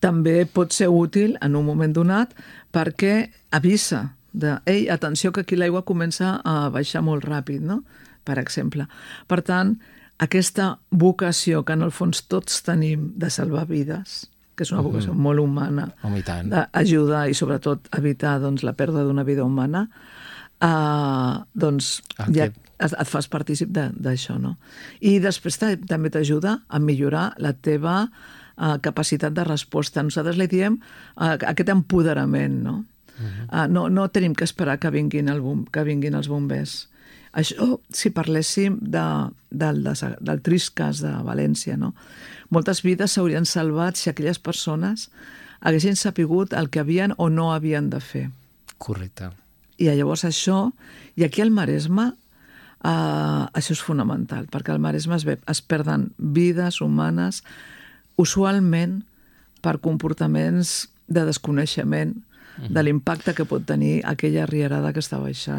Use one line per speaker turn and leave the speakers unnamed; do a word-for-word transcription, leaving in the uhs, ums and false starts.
també pot ser útil en un moment donat perquè avisa de, ei, atenció que aquí l'aigua comença a baixar molt ràpid, no? Per exemple. Per tant, aquesta vocació que en el fons tots tenim de salvar vides, que és una vocació
Mhm.
molt humana,
Home, i tant.
d'ajudar i sobretot evitar doncs, la pèrdua d'una vida humana, eh, doncs
El
ja
que-
et et fas partícip de- d'això, no? I després ta- també t'ajuda a millorar la teva eh, capacitat de resposta. Nosaltres li diem eh, aquest empoderament, no? Uh, no, no tenim que esperar que vinguin, el bom, que vinguin els bombers. Això, si parléssim de, del, de, del trist cas de València, no? Moltes vides s'haurien salvat si aquelles persones haguessin sapigut el que havien o no havien de fer.
Correcte.
I llavors això, i aquí al Maresme, eh, això és fonamental, perquè al Maresme es, ve, es perden vides humanes usualment per comportaments de desconeixement de l'impacte que pot tenir aquella rierada que està baixant.